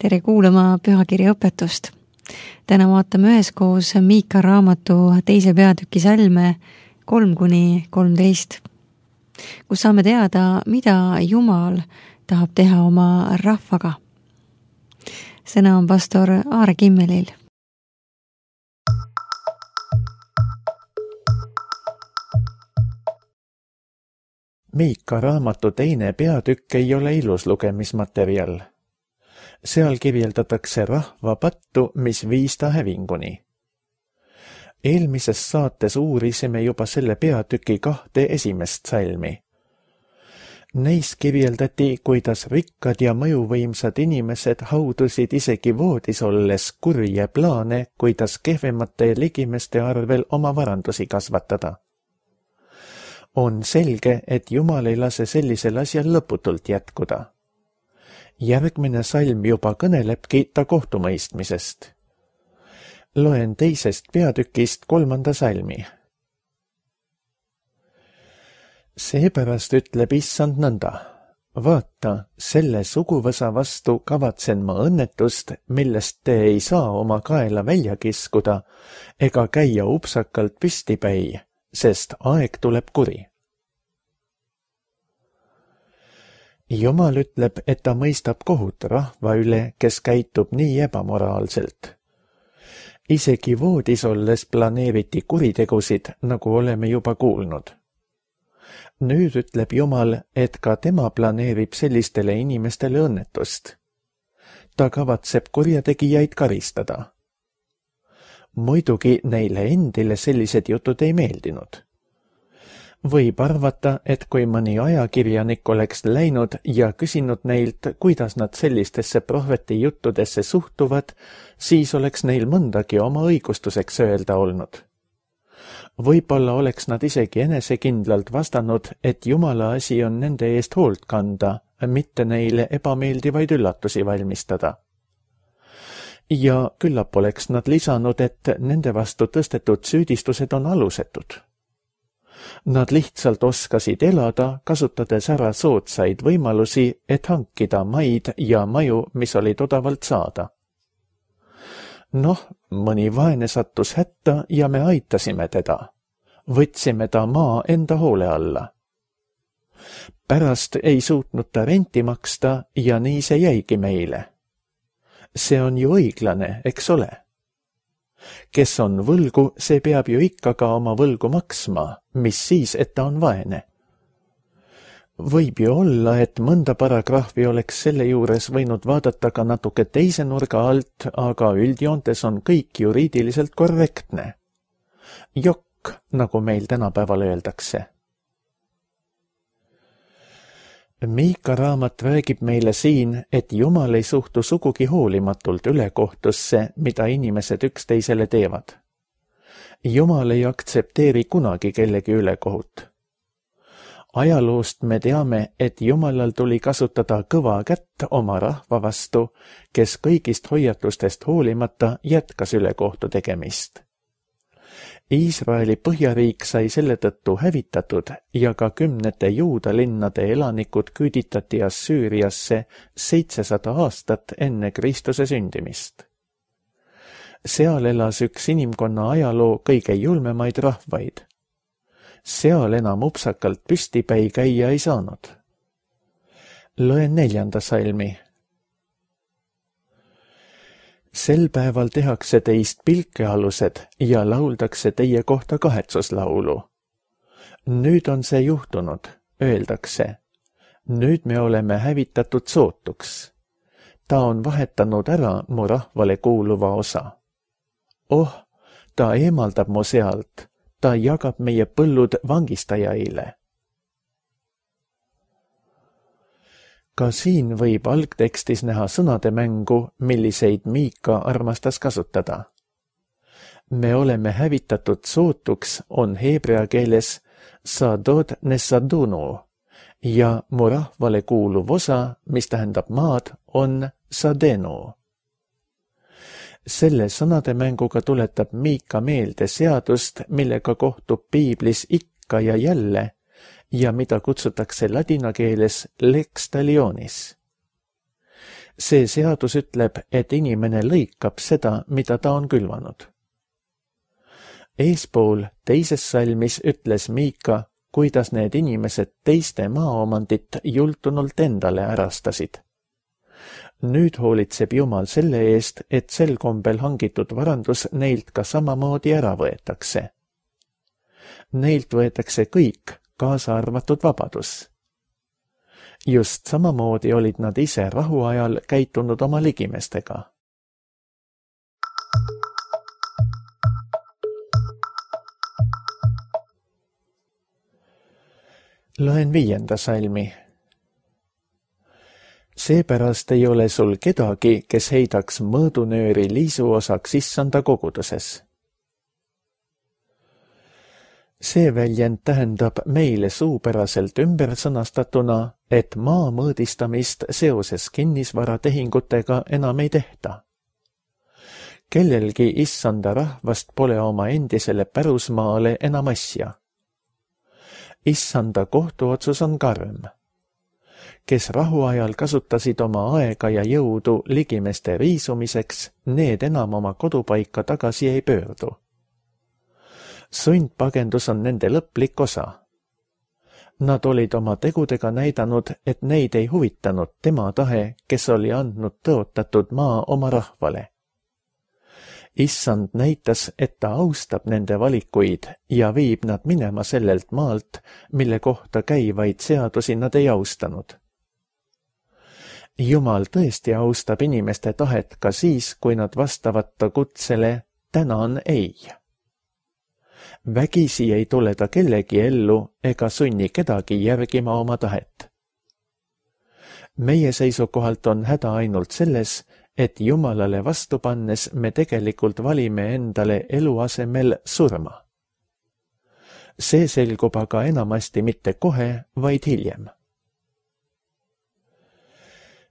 Tere kuulama pühakirja õpetust. Täna vaatame üheskoos Miika raamatu 2. peatüki salme 3-13, kus saame teada, mida Jumal tahab teha oma rahvaga. Sõna on pastor Aare Kimmelil. Miika raamatu 2. peatükk ei ole ilus lugemismaterjal. Seal kirjeldatakse rahva pattu, mis viis ta hävinguni. Eelmises saates uurisime juba selle peatüki 2 esimest salmi. Neis kirjeldati, kuidas rikkad ja mõjuvõimsad inimesed haudusid isegi voodis olles kurje plaane, kuidas kehvemate ligimeste arvel oma varandusi kasvatada. On selge, et Jumal ei lase sellisel asjal lõputult jätkuda. Järgmine salm juba kõnelebki ta kohtumõistmisest. Loen 2. peatükist 3. salmi. Seepärast ütleb Issand nõnda. Vaata, selle suguvõsa vastu kavatsen ma õnnetust, millest te ei saa oma kaela välja kiskuda ega käia upsakalt püstipäi, sest aeg tuleb kuri. Jumal ütleb, et ta mõistab kohut rahva üle, kes käitub nii ebamoraalselt. Isegi voodis olles planeeriti kuritegusid, nagu oleme juba kuulnud. Nüüd ütleb Jumal, et ka tema planeerib sellistele inimestele õnnetust. Ta kavatseb kurjategijaid karistada. Muidugi neile endile sellised jutud ei meeldinud. Võib arvata, et kui mõni ajakirjanik oleks läinud ja küsinud neilt, kuidas nad sellistesse prohveti juttudesse suhtuvad, siis oleks neil mõndagi oma õigustuseks öelda olnud. Võib-olla oleks nad isegi enesekindlalt vastanud, et Jumala asi on nende eest hoolt kanda, mitte neile ebameeldivaid üllatusi valmistada. Ja küllap oleks nad lisanud, et nende vastu tõstetud süüdistused on alusetud. Nad lihtsalt oskasid elada, kasutades ära soodsaid võimalusi, et hankida maid ja maju, mis olid odavalt saada. Mõni vaene sattus hätta ja me aitasime teda. Võtsime ta maa enda hoole alla. Pärast ei suutnud ta renti maksta ja nii see jäigi meile. See on ju õiglane, eks ole? Kes on võlgu, see peab ju ikka ka oma võlgu maksma, mis siis, et ta on vaene. Võib ju olla, et mõnda paragrahvi oleks selle juures võinud vaadata ka natuke teise nurga alt, aga üldjoontes on kõik juriidiliselt korrektne. Jokk, nagu meil tänapäeval öeldakse. Miika raamat räägib meile siin, et Jumal ei suhtu sugugi hoolimatult ülekohtusse, mida inimesed üksteisele teevad. Jumal ei aktsepteeri kunagi kellegi ülekohut. Ajaloost me teame, et Jumalal tuli kasutada kõva kätt oma rahva vastu, kes kõigist hoiatustest hoolimata jätkas ülekohtu tegemist. Iisraeli põhjariik sai selle tõttu hävitatud ja ka 10 juuda linnade elanikud küüditati Assüüriasse 700 aastat enne Kristuse sündimist. Seal elas üks inimkonna ajaloo kõige julmemaid rahvaid. Seal enam upsakalt püstipäi käia ei saanud. Loen 4. salmi. Sel päeval tehakse teist pilkealused ja lauldakse teie kohta kahetsuslaulu. Nüüd on see juhtunud, öeldakse. Nüüd me oleme hävitatud sootuks. Ta on vahetanud ära mu rahvale kuuluva osa. Ta eemaldab mu sealt, ta jagab meie põllud vangistajaile. Ka siin võib algtekstis näha sõnade mängu, milliseid Miika armastas kasutada. Me oleme hävitatud sootuks on heebrea keeles sadod nesadunu ja mu rahvale kuuluv osa, mis tähendab maad, on sadenu. Selle sõnade mänguga tuletab Miika meelde seadust, millega kohtub piiblis ikka ja jälle ja mida kutsutakse ladina keeles lex talionis. see seadus ütleb, et inimene lõikab seda, mida ta on külvanud. Eespool teises salmis ütles Miika, kuidas need inimesed teiste maaomandit jultunult endale ärastasid. Nüüd hoolitseb Jumal selle eest, et sel kombel hangitud varandus neilt ka samamoodi ära võetakse. Neilt võetakse kõik, kaasa arvatud vabadus. Just samamoodi olid nad ise rahuajal käitunud oma ligimestega. Loen 5. salmi. Seepärast ei ole sul kedagi, kes heidaks mõõdunööri liisuosaks issanda koguduses. See väljend tähendab meile suupäraselt ümber sõnastatuna, et maa mõõdistamist seoses kinnisvaratehingutega enam ei tehta. Kellelgi issanda rahvast pole oma endisele pärusmaale enam asja. Issanda kohtuotsus on karm. Kes rahuajal kasutasid oma aega ja jõudu ligimeste riisumiseks, need enam oma kodupaika tagasi ei pöördu. Sundpagendus on nende lõplik osa. Nad olid oma tegudega näidanud, et neid ei huvitanud tema tahe, kes oli andnud tõotatud maa oma rahvale. Issand näitas, et ta austab nende valikuid ja viib nad minema sellelt maalt, mille kohta käivaid seadusi nad ei austanud. Jumal tõesti austab inimeste tahet ka siis, kui nad vastavad ta kutsele tänan ei. Vägisi ei tule ta kellegi ellu ega sunni kedagi järgima oma tahet. Meie seisukohalt on häda ainult selles, et Jumalale vastu pannes me tegelikult valime endale elu asemel surma. See selgub aga enamasti mitte kohe, vaid hiljem.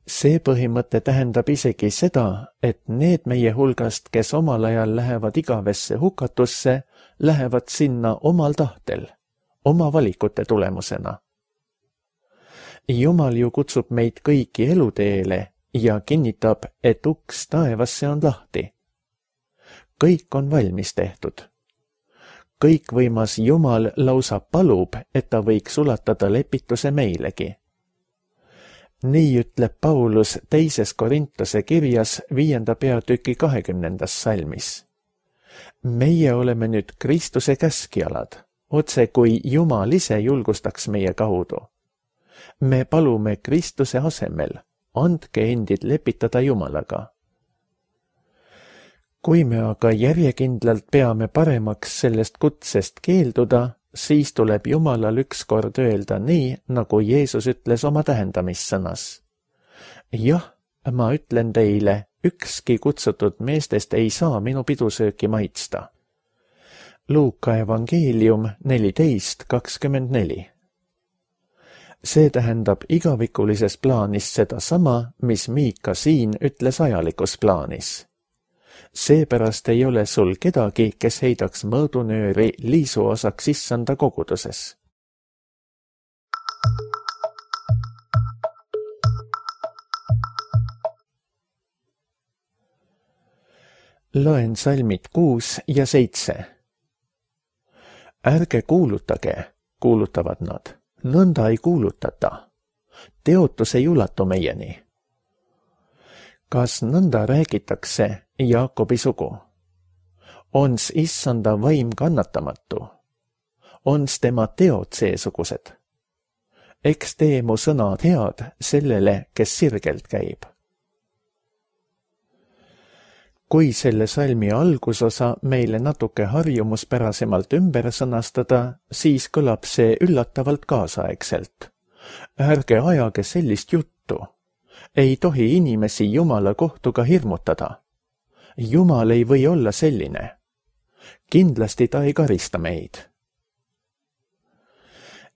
See põhimõte tähendab isegi seda, et need meie hulgast, kes omal ajal lähevad igavesse hukatusse, lähevad sinna omal tahtel, oma valikute tulemusena. Jumal ju kutsub meid kõiki eluteele ja kinnitab, et uks taevasse on lahti. Kõik on valmis tehtud. Kõikvõimas Jumal lausa palub, et ta võiks ulatada lepituse meilegi. Nii ütleb Paulus 2. Korintuse kirjas 5. peatüki 20. salmis. Meie oleme nüüd Kristuse käskjalad, otse kui Jumal ise julgustaks meie kaudu. Me palume Kristuse asemel, andke endid lepitada Jumalaga. Kui me aga järjekindlalt peame paremaks sellest kutsest keelduda, siis tuleb Jumalal ükskord öelda nii, nagu Jeesus ütles oma tähendamissõnas. Jah, ma ütlen teile, ükski kutsutud meestest ei saa minu pidusööki maitsta. Luuka evangeelium 14:24. See tähendab igavikulises plaanis sedasama, mis Miika siin ütles ajalikus plaanis. Seepärast ei ole sul kedagi, kes heidaks mõõdunööri liisuosaks issanda koguduses. Loen salmid 6 ja 7. Ärge kuulutage, kuulutavad nad, nõnda ei kuulutata. Teotus ei ulatu meieni. Kas nõnda räägitakse Jaakobi sugu? Ons issanda vaim kannatamatu? Ons tema teod seesugused? Eks tee mu sõnad head sellele, kes sirgelt käib. Kui selle salmi algusosa meile natuke harjumuspärasemalt ümber sõnastada, siis kõlab see üllatavalt kaasaegselt. Ärge ajage sellist juttu. Ei tohi inimesi Jumala kohtuga hirmutada. Jumal ei või olla selline. Kindlasti ta ei karista meid.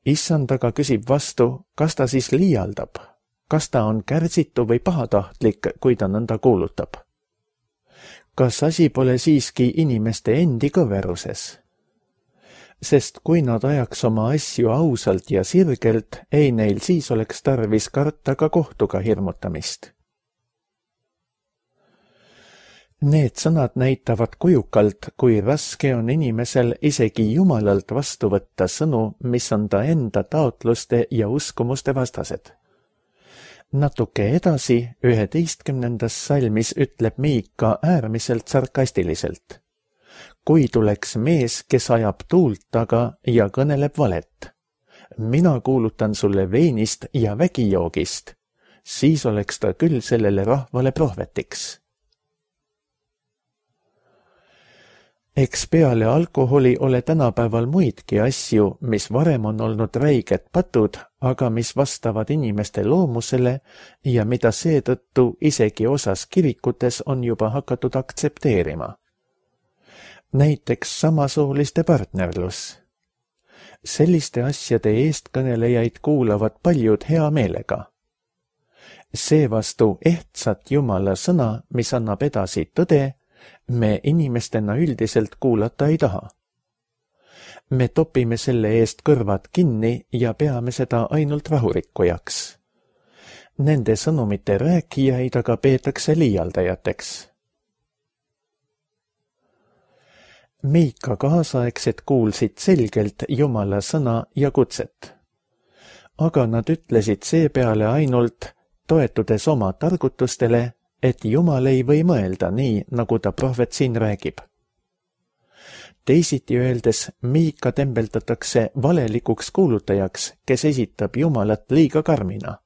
Issand aga küsib vastu, kas ta siis liialdab, kas ta on kärsitu või pahatahtlik, kui ta nõnda kuulutab. Kas asi pole siiski inimeste endi kõveruses? Sest kui nad ajaks oma asju ausalt ja sirgelt, ei neil siis oleks tarvis karta ka kohtuga hirmutamist. Need sõnad näitavad kujukalt, kui raske on inimesel isegi Jumalalt vastu võtta sõnu, mis on ta enda taotluste ja uskumuste vastased. Natuke edasi 11. salmis ütleb Miika äärmiselt sarkastiliselt. Kui tuleks mees, kes ajab tuult taga ja kõneleb valet, mina kuulutan sulle veinist ja vägijoogist, siis oleks ta küll sellele rahvale prohvetiks. Eks peale alkoholi ole tänapäeval muidki asju, mis varem on olnud räiged patud, aga mis vastavad inimeste loomusele ja mida seetõttu isegi osas kirikutes on juba hakatud aktsepteerima. Näiteks samasooliste partnerlus. Selliste asjade eestkõnelejaid kuulavad paljud hea meelega. Seevastu ehtsat Jumala sõna, mis annab edasi tõde, me inimestena üldiselt kuulata ei taha. Me topime selle eest kõrvad kinni ja peame seda ainult rahurikkujaks. Nende sõnumite rääkijaid aga peetakse liialdajateks. Miika kaasaegsed kuulsid selgelt Jumala sõna ja kutset. Aga nad ütlesid seepeale ainult, toetudes oma targutustele, et Jumal ei või mõelda nii, nagu ta prohvet siin räägib. Teisiti öeldes, Miika tembeldatakse valelikuks kuulutajaks, kes esitab Jumalat liiga karmina.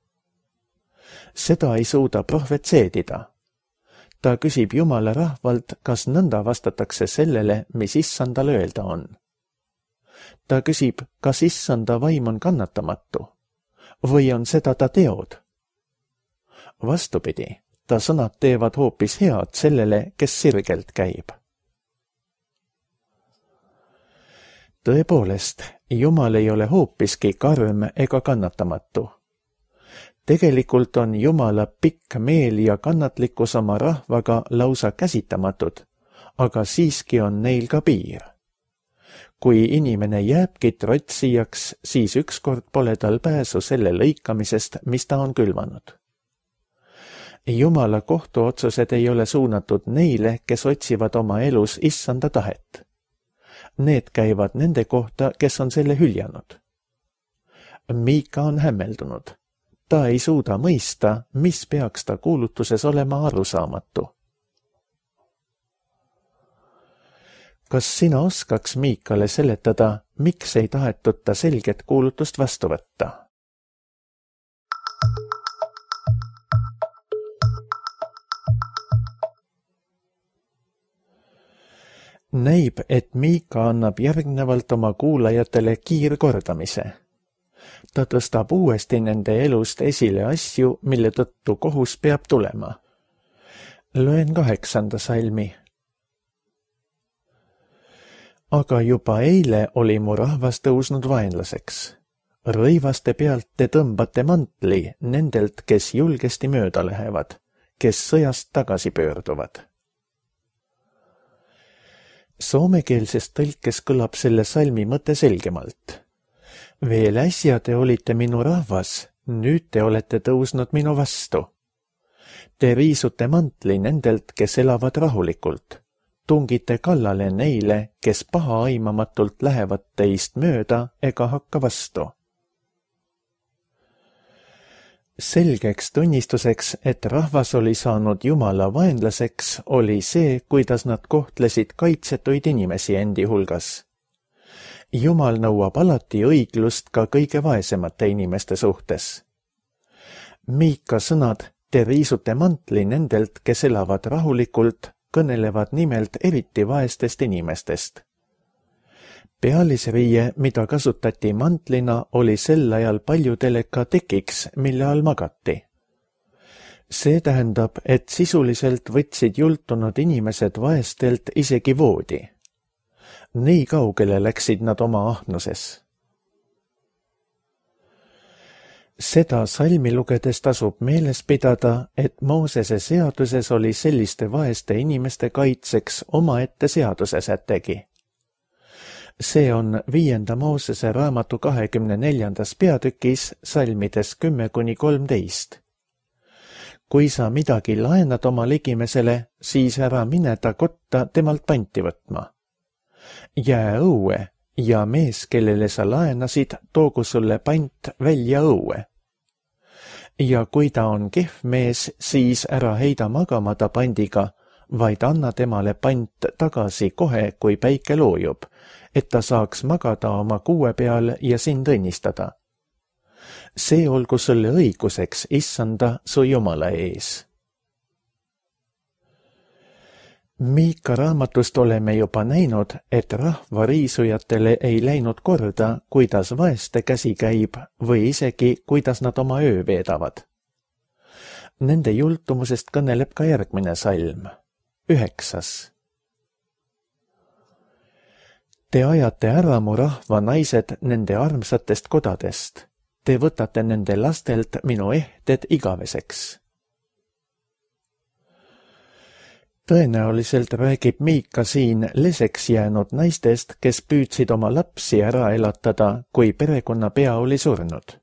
Seda ei suuda prohvet seedida. Ta küsib Jumala rahvalt, kas nõnda vastatakse sellele, mis issandal öelda on. Ta küsib, kas issanda vaim on kannatamatu või on seda ta teod. Vastupidi, ta sõnad teevad hoopis head sellele, kes sirgelt käib. Tõepoolest, Jumal ei ole hoopiski karm ega kannatamatu. Tegelikult on Jumala pikk meel ja kannatlikkus oma rahvaga lausa käsitamatud, aga siiski on neil ka piir. Kui inimene jääbki trotsijaks, siis ükskord pole tal pääsu selle lõikamisest, mis ta on külvanud. Jumala kohtuotsused ei ole suunatud neile, kes otsivad oma elus issanda tahet. Need käivad nende kohta, kes on selle hüljanud. Miika on hämmeldunud. Ta ei suuda mõista, mis peaks ta kuulutuses olema arusaamatu. Kas sina oskaks Miikale seletada, miks ei tahetud ta selget kuulutust vastu võtta? Näib, et Miika annab järgnevalt oma kuulajatele kiirkordamise. Ta tõstab uuesti nende elust esile asju, mille tõttu kohus peab tulema. Loen 8. salmi. Aga juba eile oli mu rahvas tõusnud vaenlaseks. Rõivaste pealt te tõmbate mantli nendelt, kes julgesti mööda lähevad, kes sõjast tagasi pöörduvad. Soomekeelses tõlkes kõlab selle salmi mõte selgemalt. Veel äsja te olite minu rahvas, nüüd te olete tõusnud minu vastu. Te riisute mantli nendelt, kes elavad rahulikult. Tungite kallale neile, kes pahaaimamatult lähevad teist mööda ega hakka vastu. Selgeks tunnistuseks, et rahvas oli saanud Jumala vaenlaseks, oli see, kuidas nad kohtlesid kaitsetuid inimesi endi hulgas. Jumal nõuab alati õiglust ka kõige vaesemate inimeste suhtes. Miika sõnad, te riisute mantli nendelt, kes elavad rahulikult, kõnelevad nimelt eriti vaestest inimestest. Pealisriie, mida kasutati mantlina, oli sel ajal paljudele ka tekiks, mille all magati. See tähendab, et sisuliselt võtsid jultunud inimesed vaestelt isegi voodi. Nii kaugele läksid nad oma ahnuses. Seda salmi lugedes tasub meeles pidada, et Moosese seaduses oli selliste vaeste inimeste kaitseks omaette seadusesätegi. See on 5. Moosese raamatu 24. peatükis salmides 10-13. kui sa midagi laenad oma ligimesele, siis ära mine ta kotta temalt panti võtma. Jää õue ja mees, kellele sa laenasid, toogu sulle pant välja õue. Ja kui ta on kehv mees, siis ära heida magama ta pandiga, vaid anna temale pant tagasi kohe, kui päike loojub, et ta saaks magada oma kuue peal ja sind õnnistada. See olgu sulle õiguseks, issanda su Jumala ees. Miika raamatust oleme juba näinud, et rahva riisujatele ei läinud korda, kuidas vaeste käsi käib või isegi, kuidas nad oma öö veedavad. Nende jultumusest kõneleb ka järgmine salm, 9. Te ajate ära mu rahva naised nende armsatest kodadest. Te võtate nende lastelt minu ehted igaveseks. Tõenäoliselt räägib Miika siin leseks jäänud naistest, kes püüdsid oma lapsi ära elatada, kui perekonnapea oli surnud.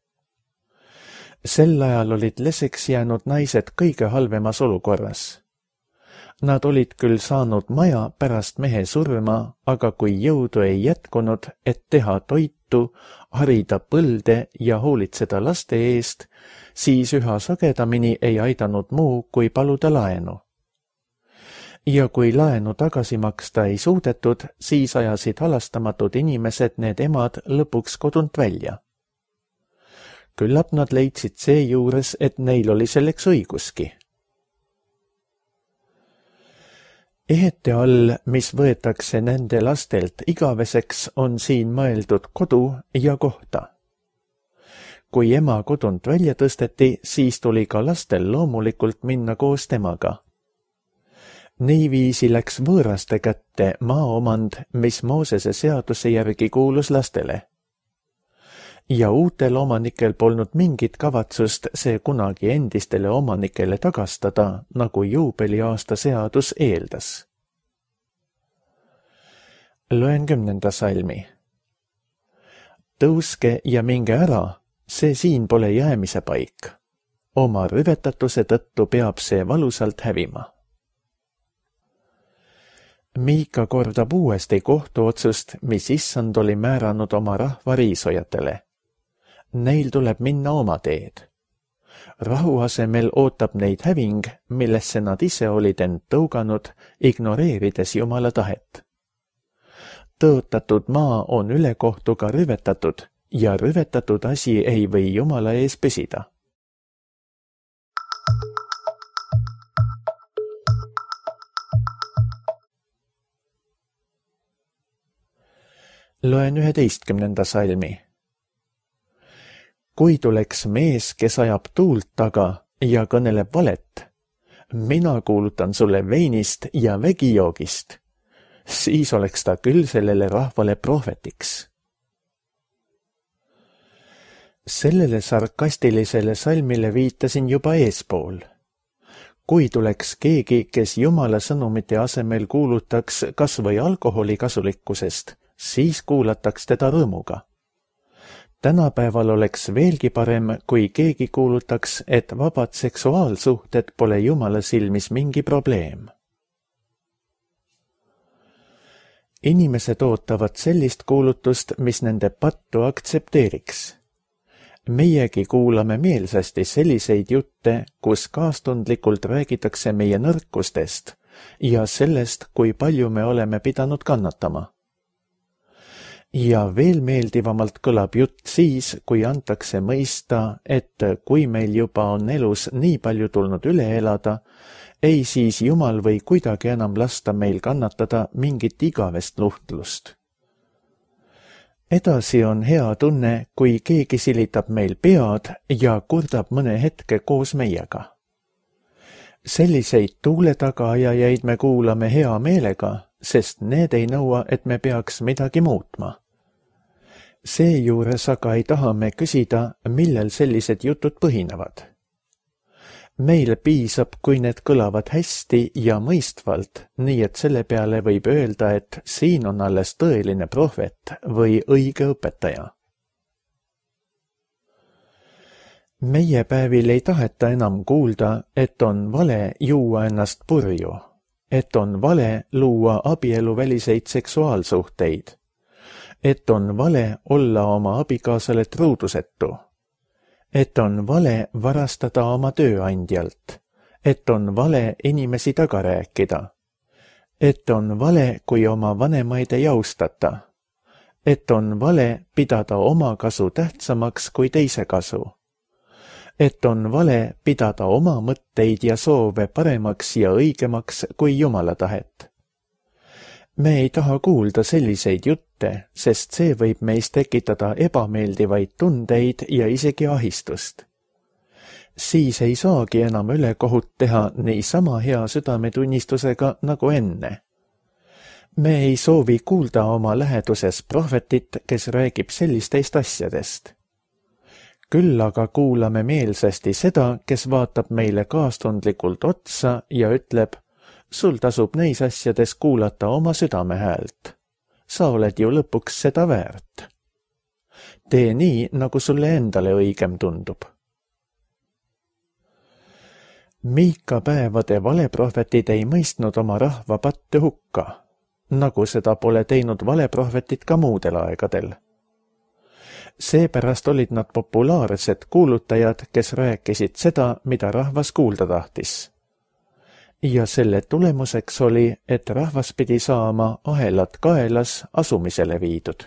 Sel ajal olid leseks jäänud naised kõige halvemas olukorras. Nad olid küll saanud maja pärast mehe surma, aga kui jõudu ei jätkunud, et teha toitu, harida põlde ja hoolitseda laste eest, siis üha sagedamini ei aidanud muu, kui paluda laenu. Ja kui laenu tagasi maksta ei suudetud, siis ajasid halastamatud inimesed need emad lõpuks kodunt välja. Küllap nad leidsid seejuures, et neil oli selleks õiguski. Ehete all, mis võetakse nende lastelt igaveseks, on siin mõeldud kodu ja kohta. Kui ema kodunt välja tõsteti, siis tuli ka lastel loomulikult minna koos temaga. Niiviisi läks võõraste kätte maaomand, mis Moosese seaduse järgi kuulus lastele. Ja uutel omanikel polnud mingit kavatsust see kunagi endistele omanikele tagastada, nagu juubeliaasta seadus eeldas. Loen 10. salmi. Tõuske ja minge ära, see siin pole jäämise paik. Oma rüvetatuse tõttu peab see valusalt hävima. Miika kordab uuesti kohtuotsust, mis issand oli määranud oma rahva riisujatele. Neil tuleb minna oma teed. Rahu asemel ootab neid häving, millesse nad ise olid end tõuganud, ignoreerides Jumala tahet. Tõotatud maa on ülekohtuga rüvetatud ja rüvetatud asi ei või Jumala ees püsida. Loen 11. salmi. Kui tuleks mees, kes ajab tuult taga ja kõneleb valet, mina kuulutan sulle veinist ja vegijoogist, siis oleks ta küll sellele rahvale prohvetiks. Sellele sarkastilisele salmile viitasin juba eespool. Kui tuleks keegi, kes Jumala sõnumite asemel kuulutaks kas või alkoholi kasulikkusest, siis kuulataks teda rõõmuga. Tänapäeval oleks veelgi parem, kui keegi kuulutaks, et vabad seksuaalsuhted pole Jumala silmis mingi probleem. Inimesed ootavad sellist kuulutust, mis nende pattu aktsepteeriks. Meiegi kuulame meelsasti selliseid jutte, kus kaastundlikult räägitakse meie nõrkustest ja sellest, kui palju me oleme pidanud kannatama. Ja veel meeldivamalt kõlab jutt siis, kui antakse mõista, et kui meil juba on elus nii palju tulnud üle elada, ei siis Jumal või kuidagi enam lasta meil kannatada mingit igavest luhtlust. Edasi on hea tunne, kui keegi silitab meil pead ja kurdab mõne hetke koos meiega. Selliseid tuule tagaajajaid me kuulame hea meelega, sest need ei nõua, et me peaks midagi muutma. Seejuures aga ei taha me küsida, millel sellised jutud põhinevad. Meil piisab, kui need kõlavad hästi ja mõistvalt, nii et selle peale võib öelda, et siin on alles tõeline prohvet või õige õpetaja. Meie päevil ei taheta enam kuulda, et on vale juua ennast purju, et on vale luua abieluväliseid seksuaalsuhteid, et on vale olla oma abikaasale truudusetu, et on vale varastada oma tööandjalt, et on vale inimesi taga rääkida, et on vale, kui oma vanemaid ei austata, et on vale pidada oma kasu tähtsamaks kui teise kasu, et on vale pidada oma mõtteid ja soove paremaks ja õigemaks kui Jumala tahet. Me ei taha kuulda selliseid jutte, sest see võib meis tekitada ebameeldivaid tundeid ja isegi ahistust. Siis ei saagi enam ülekohut teha niisama hea südametunnistusega nagu enne. Me ei soovi kuulda oma läheduses prohvetit, kes räägib sellistest asjadest. Küll aga kuulame meelsasti seda, kes vaatab meile kaastundlikult otsa ja ütleb, sul tasub neis asjades kuulata oma südame häält. Sa oled ju lõpuks seda väärt. Tee nii, nagu sulle endale õigem tundub. Miika päevade valeprohvetid ei mõistnud oma rahva patte hukka, nagu seda pole teinud valeprohvetid ka muudel aegadel. Seepärast olid nad populaarsed kuulutajad, kes rääkisid seda, mida rahvas kuulda tahtis. Ja selle tulemuseks oli, et rahvas pidi saama ahelad kaelas asumisele viidud.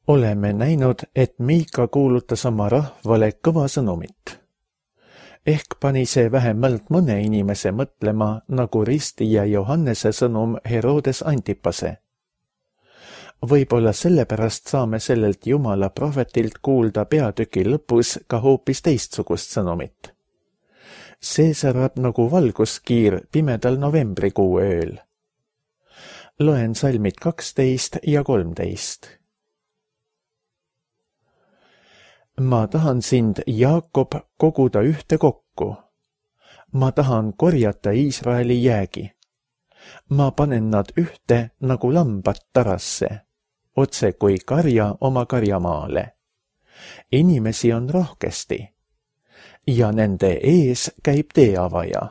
Oleme näinud, et Miika kuulutas oma rahvale kõva sõnumit. Ehk pani see vähemalt mõne inimese mõtlema, nagu ristija Johannese sõnum Herodes Antipase. Võib-olla sellepärast saame sellelt Jumala prohvetilt kuulda peatüki lõpus ka hoopis teistsugust sõnumit. See särab nagu valguskiir pimedal novembrikuu ööl. Loen salmid 12 ja 13. Ma tahan sind, Jaakob, koguda ühte kokku. Ma tahan korjata Iisraeli jäägi. Ma panen nad ühte nagu lambad tarasse, otse kui karja oma karjamaale. Inimesi on rohkesti ja nende ees käib teeavaja.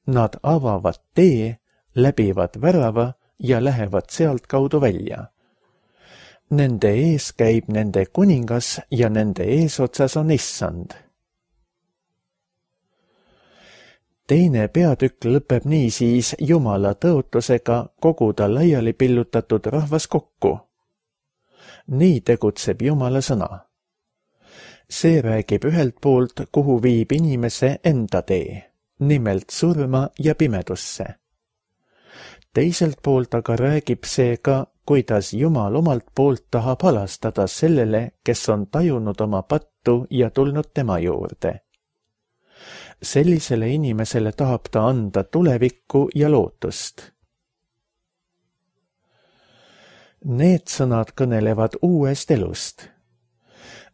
Nad avavad tee, läbivad värava ja lähevad sealt kaudu välja. Nende ees käib nende kuningas ja nende eesotsas on issand. Teine peatükk lõpeb niisiis Jumala tõotusega koguda laiali pillutatud rahvas kokku. Nii tegutseb Jumala sõna. See räägib ühelt poolt, kuhu viib inimese enda tee, nimelt surma ja pimedusse. Teiselt poolt aga räägib see ka, kuidas Jumal omalt poolt tahab halastada sellele, kes on tajunud oma pattu ja tulnud tema juurde. Sellisele inimesele tahab ta anda tulevikku ja lootust. Need sõnad kõnelevad uuest elust.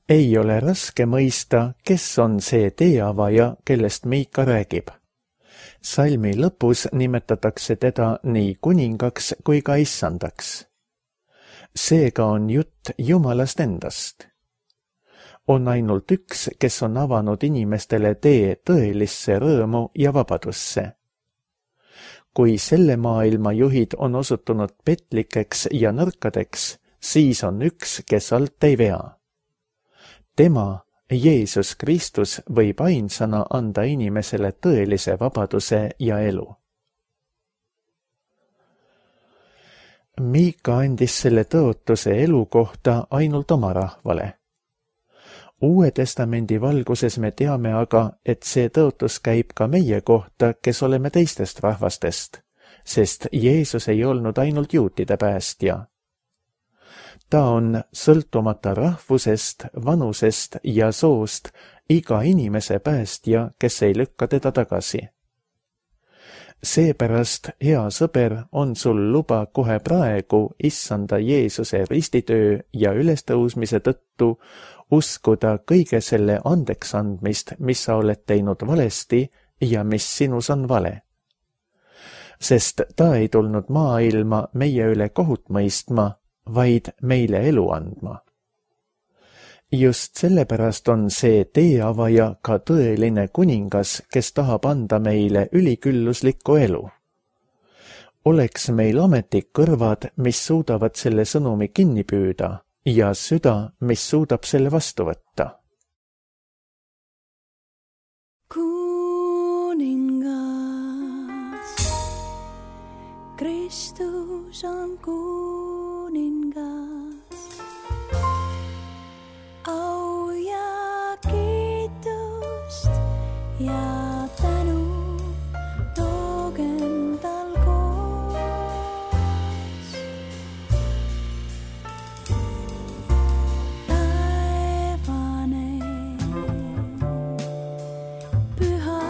Ei ole raske mõista, kes on see teeavaja, kellest Miika räägib. Salmi lõpus nimetatakse teda nii kuningaks kui ka issandaks. Seega on jutt Jumalast endast. On ainult üks, kes on avanud inimestele tee tõelisse rõõmu ja vabadusse. Kui selle maailma juhid on osutunud petlikeks ja nõrkadeks, siis on üks, kes alt ei vea. Tema, Jeesus Kristus, võib ainsana anda inimesele tõelise vabaduse ja elu. Miika andis selle tõotuse elu kohta ainult oma rahvale. Uue testamendi valguses me teame aga, et see tõotus käib ka meie kohta, kes oleme teistest rahvastest, sest Jeesus ei olnud ainult juutide päästja. Ta on sõltumata rahvusest, vanusest ja soost iga inimese päästja, kes ei lükka teda tagasi. Seepärast, hea sõber, on sul luba kohe praegu issanda Jeesuse ristitöö ja ülestõusmise tõttu uskuda kõige selle andeks andmist, mis sa oled teinud valesti ja mis sinus on vale. sest ta ei tulnud maailma meie üle kohut mõistma, vaid meile elu andma. Just sellepärast on see teeavaja ka tõeline kuningas, kes tahab anda meile ülikülluslikku elu. Oleks meil ametlik kõrvad, mis suudavad selle sõnumi kinni püüda ja süda, mis suudab selle vastu võtta. Kristus on kuningas, au ja kiitust ja tänu toogem tal koos. Taevane, püha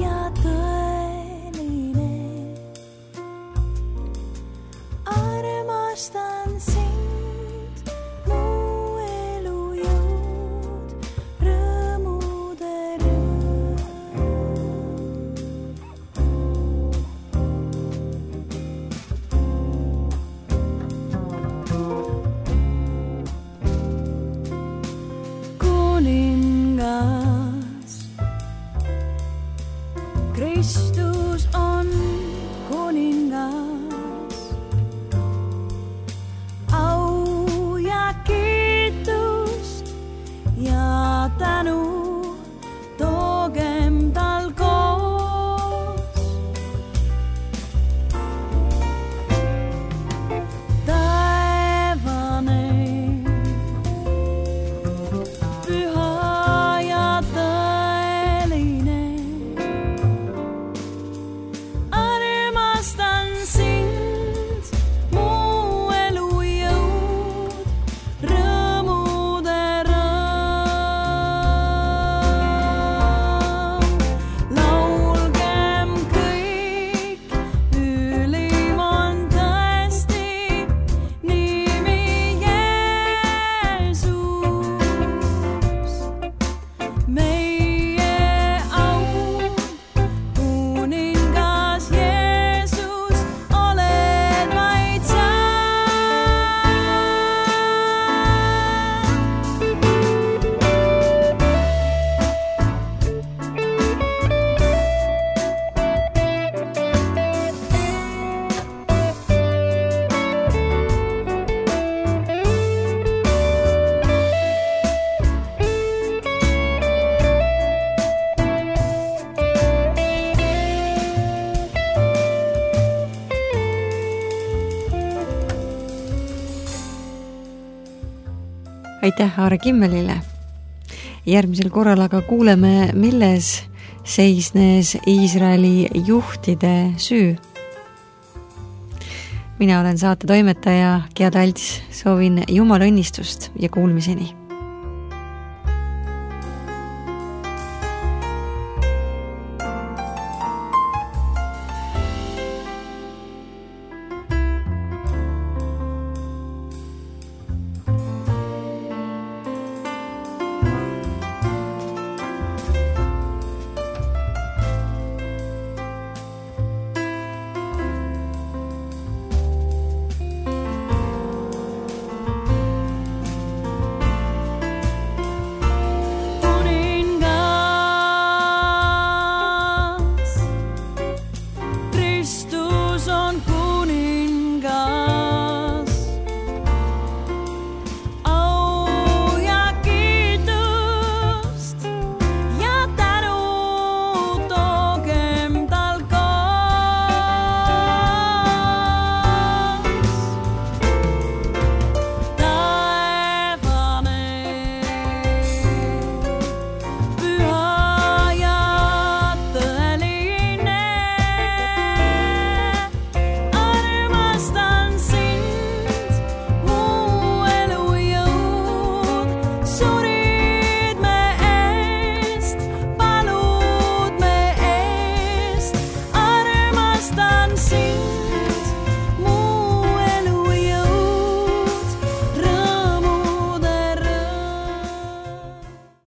ja tõeline, armastan sind, mu elu jõud, rõõmude rõõm. Kuningas, Kristus on kuningas, au ja kiitust ja tänu toogem tal koos. Taevane, püha ja tõeline, armastan sind, mu elu jõud, rõõmude rõõm. Laulgem kõik, ülim on tõesti nimi Jeesus, meie aud, kuningas Jeesus, oled vaid sa. Aitäh Aare Kimmelile. Järgmisel korral aga kuuleme, milles seisnes Iisraeli juhtide süü. Mina olen saate toimetaja Gea Talts, soovin Jumala õnnistust ja kuulmiseni.